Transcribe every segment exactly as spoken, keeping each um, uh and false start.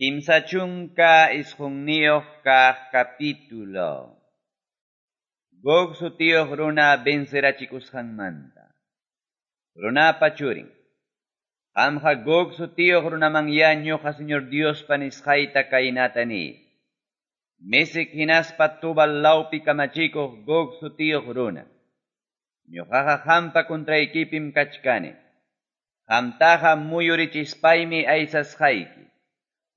Kimsa chunka isqunniyuq kaq capítulo. Gog sutiyuq runa vencerachikusqanmanta. Runapa churin. Qamqa Gog sutiyuq runamanyá ñuqa Señor Diospa nisqayta kaynata niy. Mesec hinaspa Tubal lawpi kamachikuq Gog sutiyuq runa. Ñuqaqa qampa kontraykipim kachkani. Qamtaqa muyurichispaymi aysasqayki.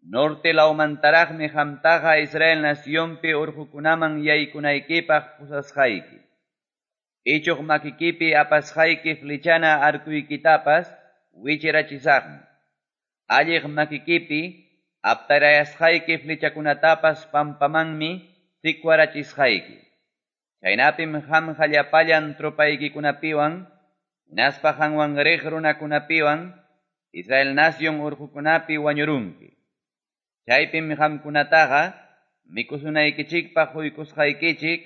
Norte lawmantaraqmi qamtaqa Israel nacionpi urqukunaman yaykunaykipaq pusasqayki. Ichuq makikipi apasqayki flechana arkuykitapas wichirachisaqmi. Alliq makikipi aptarayasqayki flechakunatapas pampamanmi sikwarachisqayki. Chaynapim qamqa llapallan tropaykikunapiwan, hinaspa qanwan riq runakunapiwan, Israel nación urqukunapi wañurunki. Chaypim qamkunataqa mikusunaykichikpaq quykusqaykichik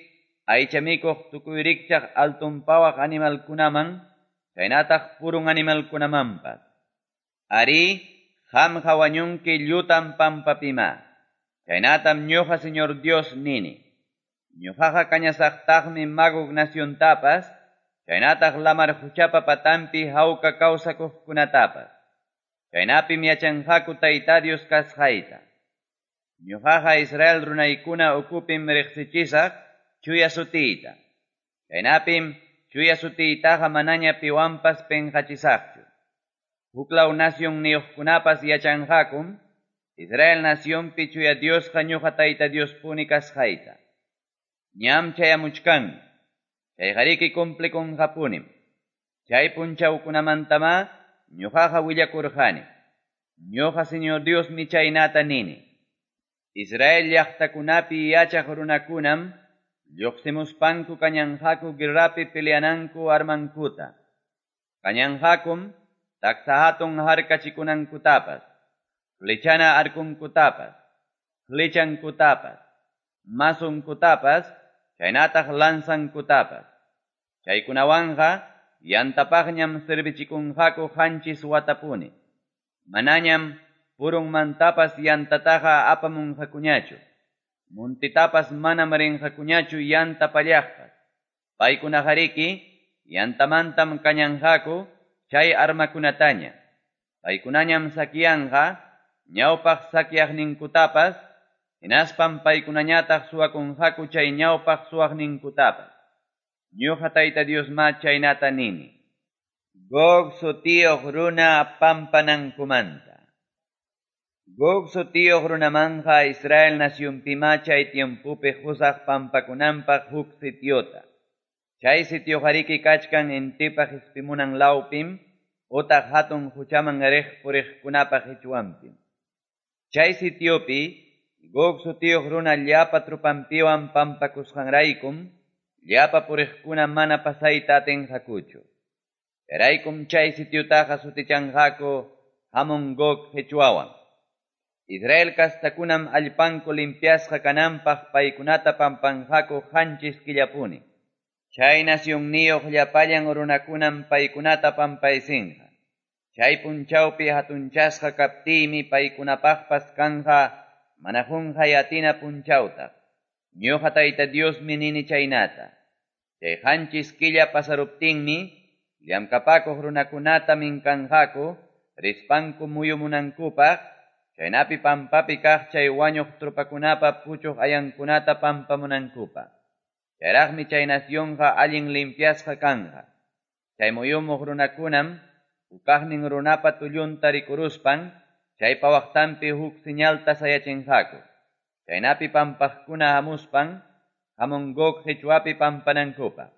aycha mikuq tukuy rikchaq alton pawaq animalkunaman, chaynataq purun animalkunamanpas. Arí, qamqa wañunki llutan pampapima. Chaynatam ñuqa Señor Dios nini. Ñuqaqa kañasaqtaqmi Magog naciontapas, chaynataq lamar quchapa patanpi hawka kawsakuqkunatapas. Chaynapim yachanqaku Tayta Dios kasqayta. Ñuqaqa Israel runaykuna ukupim riqsichisaq chuya sutiyta. Chaynapim chuya sutiytaqa manaña piwanpas penqachisaqchu. Huklaw nacionniyuqkunapas yachanqakum Israel nacionpi chuya Diosqa ñuqa Tayta Diospuni kasqayta. Ñam chayamuchkan, chayqariki cumplikunqapunim. Chay punchawkunamantama ñuqaqa willakurqani. Ñuqa Señor Diosmi chaynata nini. Israel llaqtakunapi yachaq runakunam lluqsimuspanku kañanqaku guerrapi peleananku armankuta. Kañanqakum taksa hatun harkachikunankutapas, flechana arkunkutapas, flechankutapas, mazunkutapas, chaynataq lanzankutapas. Chaykunawanqa yantapaqñam servichikunqaku qanchis watapuni. Manañam purunmantapas yantataqa apamunqakuñachu. Muntitapas manam rinqakuñachu yanta pallaqpas. Paykunaqariki yantamantam kañanqaku chay armakunataña. Paykunañam sakiyanqa ñawpaq sakyaqninkutapas, hinaspam paykunañataq suwakunqaku chay ñawpaq suwaqninkutapas. Ñuqa Tayta Diosma chaynata nini. Gog sutiyuq runa pampanankumanta. Gog sutiyuq runamanqa Israel nacionpima chay tiempopi qusaq pampakunanpaq huk sitiota. Chay sitioqariki kachkan intipa qispimunan lawpim utaq hatun quchaman riq puriqkunapaq qichwanpim. Chay sitiopi Gog sutiyuq runa llapa trupanpiwan pampakusqanraykum llapa puriqkuna mana pasayta atinqakuchu. Chayraykum chay sitiotaqa sutichanqaku Hamon Gog qichwawan. Israel kastakunam allpanku limpiasqa kananpaq paykunata pampanqaku qanchis killapuni. Chay nacionniyuq llapallan runakunam paykunata pampaysinqa. Chay punchawpi hatunchasqa kaptiymi paykunapaqpas kanqa mana qunqay atina punchawtaq. Ñuqa Tayta Diosmi nini chaynata. Chay qanchis killa pasaruptinmi llamkapakuq runakunata minkanqaku rispanku muyumunankupaq, chaynapi pampapi kaq chay wañuq tropakunapa puchuq ayankunata pampamunankupaq. Chayraqmi chay nacionqa allin limpiasqa kanqa. Chay muyumuq runakunam hukaqnin runapa tullunta rikuruspan chaypa waqtanpi huk señalta sayachinqaku. Chaynapi pampaqkuna hamuspan Hamon Gog qichwapi pampanankupaq.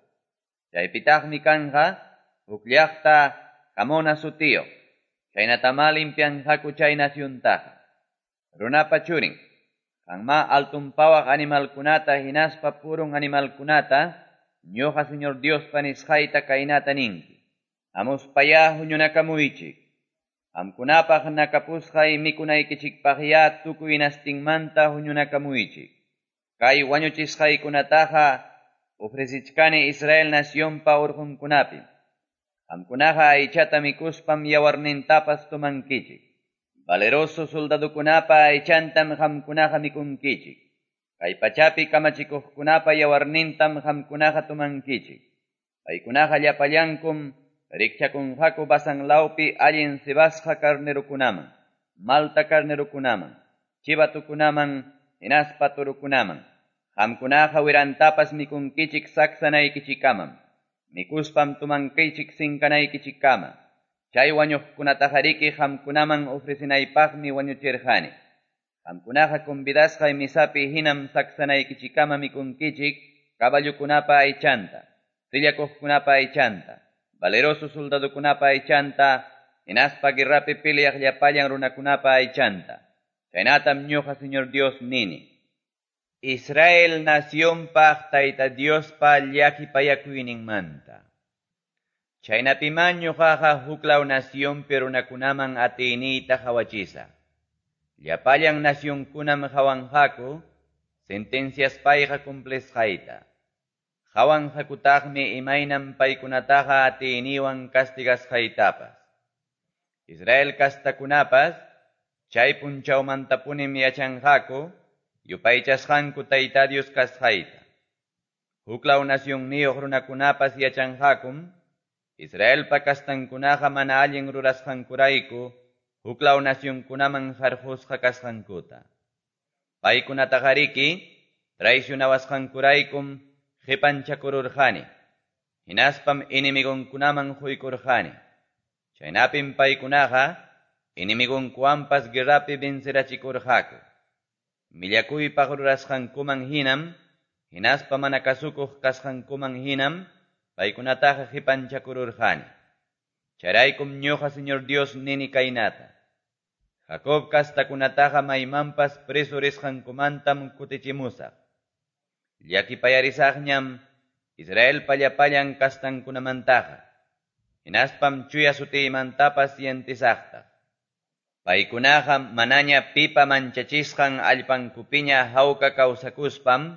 Chaypitaqmi kanqa huk llaqta Hamona sutiyuq. Chaynatama limpianqaku chay naciontaqa. Runapa churin, qanma altun pawaq animalkunata hinaspa purun animalkunata ñuqa Señor Diospa nisqayta kaynata ninki. Hamuspayá huñunakamuychik. Qamkunapaq nakapusqay mikunaykichikpaqyá tukuy nastinmanta huñunakamuychik. Kay wañuchisqaykunataqa ofrecichkani Israel nacionpa urqunkunapim. Qamkunaqa aychata mikuspam yawarnintapas tumankichik. Valeroso soldadokunapa aychantam qamkunaqa mikunkichik. Kay pachapi kamachikuqkunapa yawarnintam qamkunaqa tomankichik. Paykunaqa llapallankum rikchakunqaku Basan lawpi allin cebasqa carnerokunaman, malta carnerokunaman, chivatukunaman, hinaspa torokunaman. Qamkunaqa wirantapas mikunkichik saksanaykichikamam. Mikuspam tomankichik sinkanaykichikkama. Chay wañuqkunataqariki qamkunaman ofrecenaypaqmi wañuchirqani. Qamkunaqa convidasqay misapi hinam saksanaykichikama mikunkichik caballokunapa aychanta, sillakuqkunapa aychanta, valeroso soldadokunapa aychanta, hinaspa guerrapi peleaq llapallan runakunapa aychanta. Chaynatam ñuqa Señor Dios nini. Israel nacionpaq Tayta Diospa llakipayakuyninmanta. Chaynapiman ñuqaqa huklaw nacionpi runakunaman atiyniyta qawachisaq. Llapallan nacionkunam qawanqaku sentenciaspayqa cumplisqayta. Qawanqakutaqmi imaynam paykunataqa atiyniywan castigasqaytapas. Israel kastakunapas chay punchawmantapunim yachanqaku yupaychasqanku Tayta Dios kasqayta. Huklaw nacionniyuq runakunapas yachanqakum Israelpa kastankunaqa mana allin rurasqankurayku huklaw nacionkunaman harqusqa kasqankuta. Paykunataqariki traicionawasqankuraykum qipanchakururqani, hinaspam enemigonkunaman quykurqani. Chaynapim paykunaqa enemigonkuwanpas guerrapi vencerachikurqaku. Millakuypaq rurasqankuman hinam, hinaspa mana kasukuq kasqankuman hinam, paykunataqa qipanchakururqani. Chayraykum ñuqa Señor Dios nini kaynata. Jacob kastakunataqa maymanpas preso risqankumantam kutichimusaq. Llakipayarisaqñam Israelpa llapallan kastankunamantaqa. Hinaspam chuya sutiymantapas sientisaqtaq. Paykunaqa manaña pipa manchachisqan allpankupiña hawka kawsakuspam,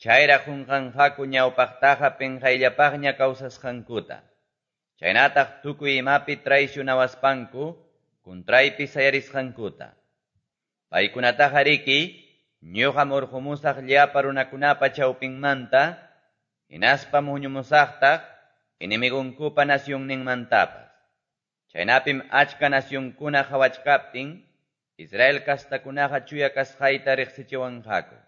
chayraq qunqanqaku ñawpaqtaqa pinqayllapaqña kawsasqankuta. Chaynataq tukuy imapi traicionawaspanku, kuntraypi sayarisqankuta. Paykunataqa riki, ñuqam urqumusaq llapa runakunapa chawpinmanta, hinaspam huñumusaqtaq enemigonkupa nacionninmantapas. Chaynapim achka nacionkuna qawachkaptin, Israel kastakunaqa chuya kasqayta riqsichiwanqaku.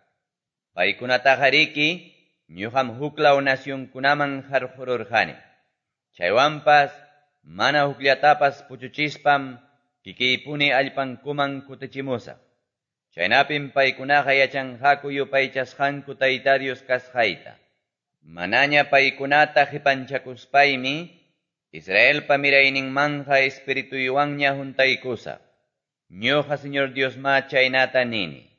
Paykunataqa riki, ñuqam huklaw nacionkunaman harqururqani. Chaywanpas mana hukllatapas puchuchispam kikiypuni allpankuman kutichimusaq. Chaynapim paykunaqa yachanqaku yupaychasqanku Tayta Dios kasqayta. Manaña paykunata qipanchakuspaymi Israelpa mirayninmanja espirituywanña juntaykusaq. Ñuqa Señor Dios ma chaynata nini.